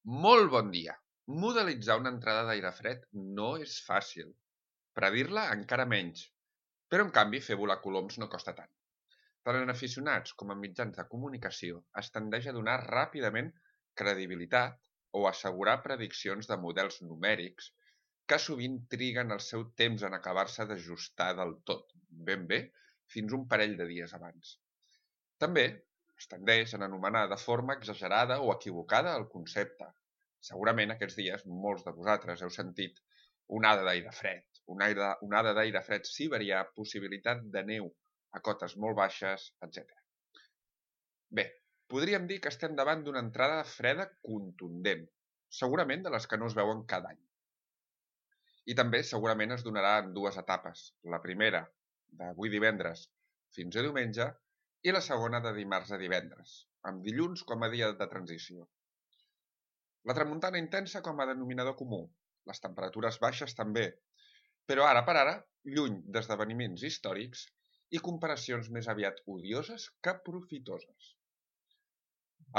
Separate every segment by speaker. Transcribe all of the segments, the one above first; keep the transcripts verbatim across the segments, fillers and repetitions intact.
Speaker 1: Molt bon dia! Modelitzar una entrada d'aire fred no és fàcil. Predir-la encara menys. Però en canvi fer volar coloms no costa tant. Tant en aficionats com en mitjans de comunicació es tendeix a donar ràpidament credibilitat o assegurar prediccions de models numèrics que sovint triguen el seu temps en acabar-se d'ajustar del tot, ben bé, fins un parell de dies abans. També es tendeix a anomenar de forma exagerada o equivocada el concepte. Segurament aquests dies molts de vosaltres heu sentit onada d'aire fred, una onada d'aire fred siberià, possibilitat de neu a cotes molt baixes, etcètera. Bé, podríem dir que estem davant d'una entrada freda contundent, segurament de les que no es veuen cada any. I també segurament es donarà en dues etapes. La primera, d'avui divendres fins a diumenge, i la segona de dimarts a divendres, amb dilluns com a dia de transició. La tramuntana intensa com a denominador comú, les temperatures baixes també, però ara per ara, lluny d'esdeveniments històrics i comparacions més aviat odioses que profitoses.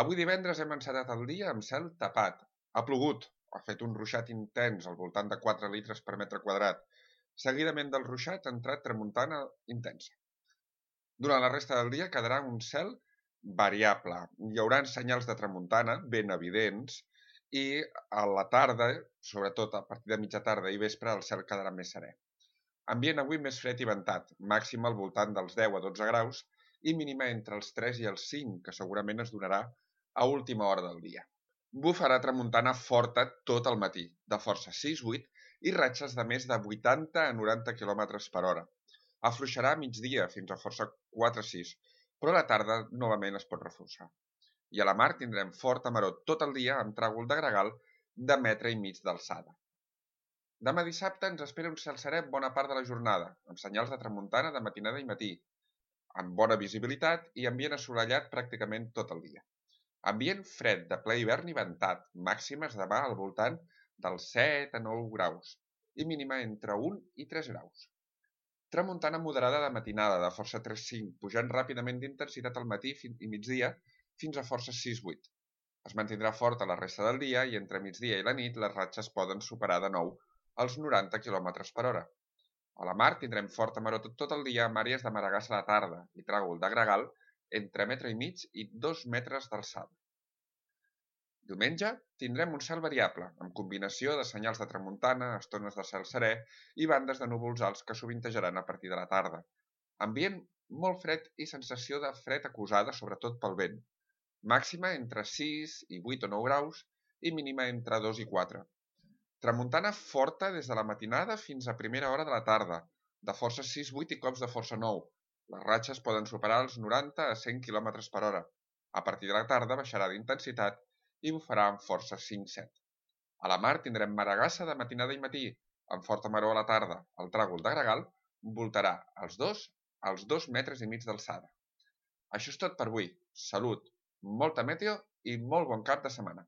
Speaker 1: Avui divendres hem encetat el dia amb cel tapat. Ha plogut, ha fet un ruixat intens al voltant de quatre litres per metre quadrat. Seguidament del ruixat ha entrat tramuntana intensa. Durant la resta del dia quedarà un cel variable. Hi haurà senyals de tramuntana ben evidents i a la tarda, sobretot a partir de mitja tarda i vespre, el cel quedarà més serè. Ambient avui més fred i ventat, màxima al voltant dels deu a dotze graus i mínima entre els tres i els cinc, que segurament es donarà a última hora del dia. Bufarà tramuntana forta tot el matí, de força sis vuit i ratxes de més de vuitanta a noranta quilòmetres per hora. Afluixarà a migdia fins a força quatre sis, però a la tarda novament es pot reforçar. I a la mar tindrem forta maror tot el dia amb tràgol de gregal de metre i mig d'alçada. Demà dissabte ens espera un cel serè bona part de la jornada, amb senyals de tramuntana de matinada i matí, amb bona visibilitat i ambient assolellat pràcticament tot el dia. Ambient fred de ple hivern i ventat, màximes demà al voltant dels set a nou graus i mínima entre un i tres graus. Tramuntana moderada de matinada de força tres cinc, pujant ràpidament d'intensitat al matí i migdia fins a força sis vuit. Es mantindrà forta la resta del dia i entre migdia i la nit les ratxes poden superar de nou els noranta quilòmetres per hora. A la mar tindrem forta maror tot el dia amb àrees de maregassa a la tarda i tràgol de gregal entre metre i mig i dos metres d'alçada. Diumenge tindrem un cel variable, amb combinació de senyals de tramuntana, estones de cel serè i bandes de núvols alts que sovintejaran a partir de la tarda. Ambient molt fred i sensació de fred acusada, sobretot pel vent. Màxima entre sis i vuit o nou graus i mínima entre dos i quatre. Tramuntana forta des de la matinada fins a primera hora de la tarda, de força sis vuit i cops de força nou. Les ratxes poden superar els noranta a cent quilòmetres per hora. A partir de la tarda baixarà d'intensitat i bufarà amb força cinc set. A la mar tindrem maregassa de matinada i matí, amb forta maror a la tarda. El tràgol de gregal voltarà als dos als dos metres i mig d'alçada. Això és tot per avui. Salut, molta meteo i molt bon cap de setmana.